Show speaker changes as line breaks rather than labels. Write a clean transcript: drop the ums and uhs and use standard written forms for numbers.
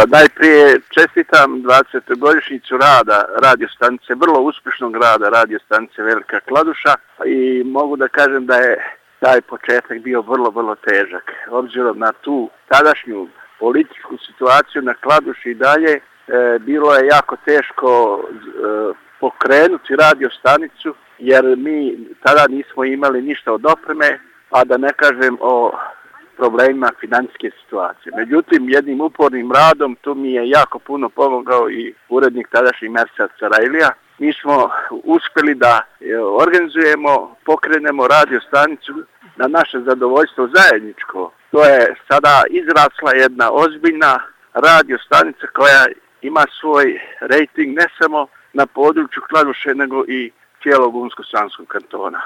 Najprije čestitam 20-godišnjicu rada radio stanice, vrlo uspješnog rada radio stanice Velika Kladuša i mogu da kažem da je taj početak bio vrlo težak. Obzirom na tu tadašnju političku situaciju na Kladuši i dalje, bilo je jako teško pokrenuti radio stanicu jer mi tada nismo imali ništa od opreme, a da ne kažem o problemima financijske situacije. Međutim, jednim upornim radom tu mi je jako puno pomogao i urednik tadašnji Mersad Sarajlija. Mi smo uspjeli da organizujemo, pokrenemo radio stanicu na naše zadovoljstvo zajedničko. To je sada izrasla jedna ozbiljna radio stanica koja ima svoj rejting ne samo na području Kladuše nego i cijelog Unsko-Sanskog kantona.